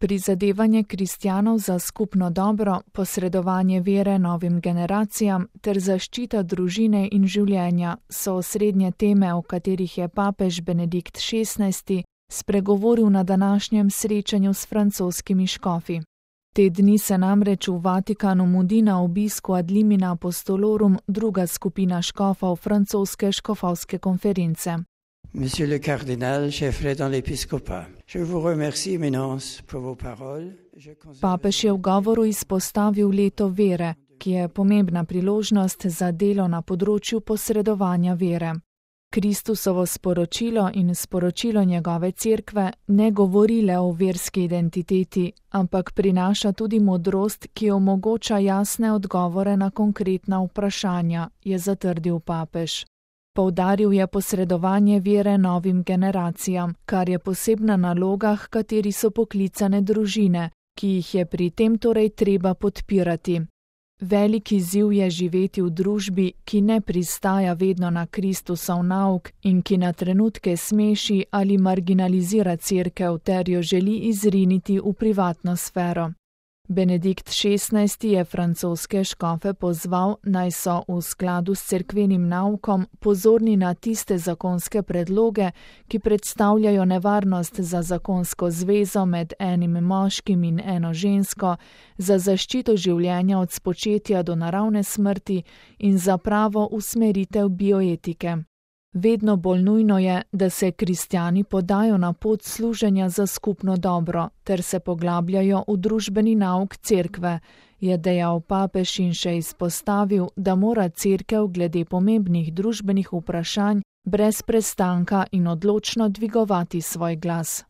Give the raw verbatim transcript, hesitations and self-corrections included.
Prizadevanje kristjanov za skupno dobro, posredovanje vere novim generacijam ter zaščita družine in življenja so osrednje teme, o katerih je papež Benedikt šestnajsti spregovoril na današnjem srečanju s francoskimi škofi. Te dni se namreč v Vatikanu mudi na obisku Ad limina apostolorum druga skupina škofov francoske škofovske konference. Monsieur le cardinal, chef dans l'épiscopat, je vous remercie, Éminence, pour vos paroles. Papež je v govoru izpostavil leto vere, ki je pomembna priložnost za delo na področju posredovanja vere. Kristusovo sporočilo in sporočilo njegove cerkve ne govori le o verski identiteti, ampak prinaša tudi modrost, ki omogoča jasne odgovore na konkretna vprašanja, je zatrdil papež. Poudaril je posredovanje vere novim generacijam, kar je posebna naloga, h kateri so poklicane družine, ki jih je pri tem torej treba podpirati. Velik izziv je živeti v družbi, ki ne pristaja vedno na Kristusov nauk in ki na trenutke smeši ali marginalizira cerkev ter jo želi izriniti v privatno sfero. Benedikt šestnajsti je francoske škofe pozval, naj so v skladu s cerkvenim naukom pozorni na tiste zakonske predloge, ki predstavljajo nevarnost za zakonsko zvezo med enim moškim in eno žensko, za zaščito življenja od spočetja do naravne smrti in za pravo usmeritev bioetike. Vedno bolj nujno je, da se kristjani podajo na pot služenja za skupno dobro ter se poglabljajo v družbeni nauk cerkve, je dejal papež in še izpostavil, da mora cerkev glede pomembnih družbenih vprašanj brez prestanka in odločno dvigovati svoj glas.